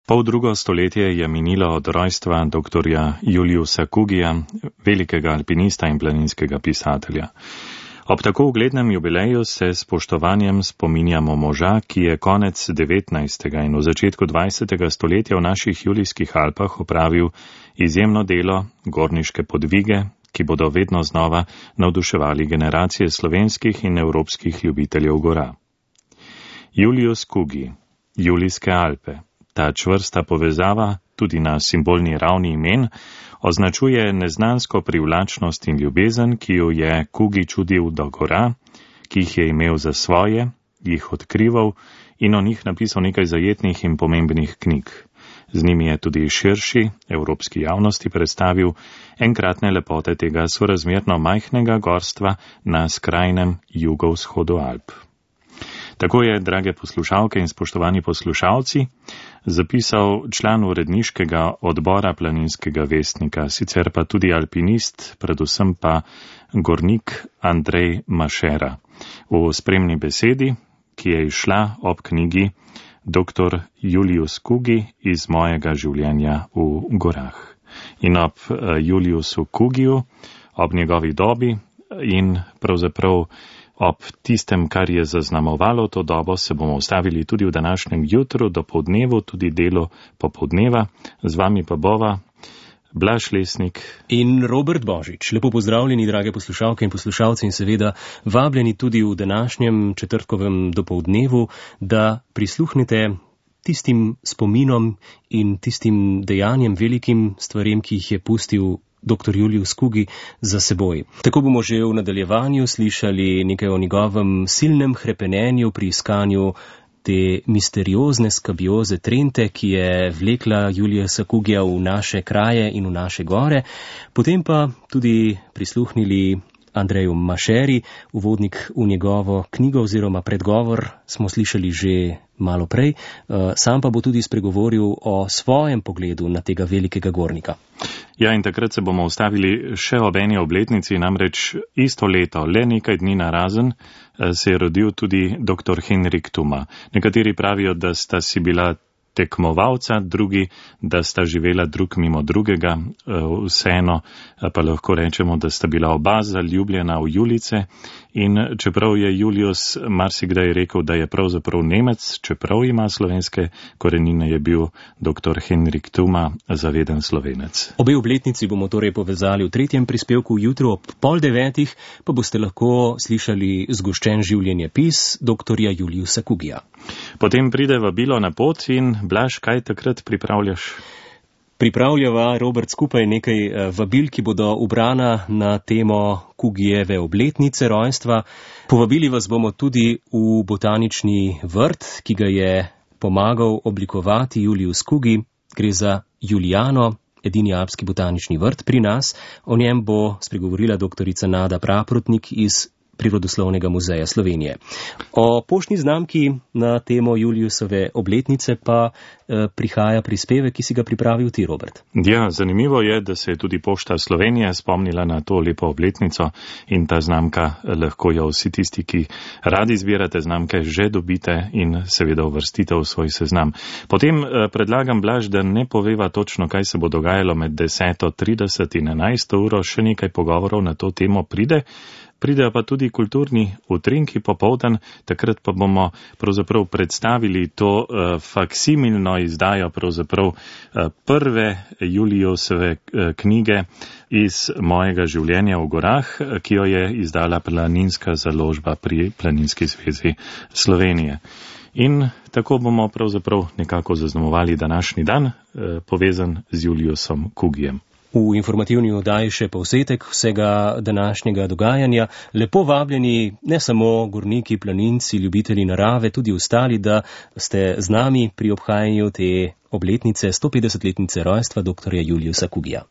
Poldrugo stoletje je minilo od rojstva dr. Juliusa Kugija, velikega alpinista in planinskega pisatelja. Ob tako uglednem jubileju se s spoštovanjem spominjamo moža, ki je konec 19. in v začetku 20. stoletja v naših Julijskih Alpah opravil izjemno delo, gorniške podvige, ki bodo vedno znova navduševali generacije slovenskih in evropskih ljubiteljev gora. Julius Kugi, Julijske Alpe. Ta čvrsta povezava, tudi na simbolni ravni imen, označuje neznansko privlačnost in ljubezen, ki jo je Kugi čudil do gora, ki jih je imel za svoje, jih odkrival in o njih napisal nekaj zajetnih in pomembnih knjig. Z njimi je tudi širši evropski javnosti predstavil enkratne lepote tega sorazmerno majhnega gorstva na skrajnem jugovzhodu Alp. Tako je, drage poslušalke in spoštovani poslušalci, zapisal član uredniškega odbora Planinskega vestnika, sicer pa tudi alpinist, predvsem pa gornik Andrej Mašera, v spremni besedi, ki je izšla ob knjigi Dr. Julius Kugi iz mojega življenja v gorah. In ob Juliusu Kugiju, ob njegovi dobi in pravzaprav ob tistem, kar je zaznamovalo to dobo, se bomo ustavili tudi v današnjem jutru, dopoldnevu, tudi delo popoldneva. Z vami pa bova Blaž Lesnik in Robert Božič. Lepo pozdravljeni, drage poslušalke in poslušalci, in seveda vabljeni tudi v današnjem četrtkovem dopoldnevu, da prisluhnete tistim spominom in tistim dejanjem, velikim stvarem, ki jih je pustil dr. Julius Kugi za seboj. Tako bomo že v nadaljevanju slišali nekaj o njegovem silnem hrepenenju pri iskanju te misteriozne skabioze Trente, ki je vlekla Juliusa Kugija v naše kraje in v naše gore. Potem pa tudi prisluhnili Andreju Mašeri, uvodnik v njegovo knjigo oziroma predgovor smo slišali že malo prej. Sam pa bo tudi spregovoril o svojem pogledu na tega velikega gornika. Ja, in takrat se bomo ustavili še ob eni obletnici, namreč isto leto, le nekaj dni narazen, se je rodil tudi dr. Henrik Thuma. Nekateri pravijo, da sta si bila tekmovalca, drugi, da sta živela drug mimo drugega, vseeno pa lahko rečemo, da sta bila oba zaljubljena v Julice, in čeprav je Julius marsikdaj rekel, da je pravzaprav Nemec, čeprav ima slovenske korenine, je bil dr. Henrik Thuma zaveden Slovenec. Obe obletnici bomo torej povezali v tretjem prispevku, jutro ob 8:30 pa boste lahko slišali zgoščen življenjepis dr. Juliusa Kugija. Potem pride vabilo na pot in Blaž, kaj takrat pripravljaš? Pripravljava, Robert, skupaj nekaj vabil, ki bodo ubrana na temo Kugijeve obletnice rojstva. Povabili vas bomo tudi v botanični vrt, ki ga je pomagal oblikovati Julius Kugi. Gre za Julijano, edini alpski botanični vrt pri nas. O njem bo spregovorila doktorica Nada Praprotnik iz Prirodoslovnega muzeja Slovenije. O poštni znamki na temo Juliusove obletnice pa prihaja prispevek, ki si ga pripravil ti, Robert. Ja, zanimivo je, da se je tudi Pošta Slovenije spomnila na to lepo obletnico in ta znamka lahko jo vsi tisti, ki radi zbirate znamke, že dobite in seveda uvrstite v svoj seznam. Potem predlagam, Blaž, da ne poveva točno, kaj se bo dogajalo med 10:30 in 11. uro, še nekaj pogovorov na to temo Pridejo pa tudi kulturni utrinki popoldan, takrat pa bomo pravzaprav predstavili to faksimilno izdajo pravzaprav prve Juliusove knjige iz mojega življenja v gorah, ki jo je izdala Planinska založba pri Planinski zvezi Slovenije. In tako bomo pravzaprav nekako zaznamovali današnji dan, povezan z Juliusom Kugijem. V informativni oddaji še povzetek vsega današnjega dogajanja. Lepo vabljeni ne samo gorniki, planinci, ljubitelji narave, tudi ostali, da ste z nami pri obhajanju te obletnice, 150-letnice rojstva dr. Juliusa Kugija.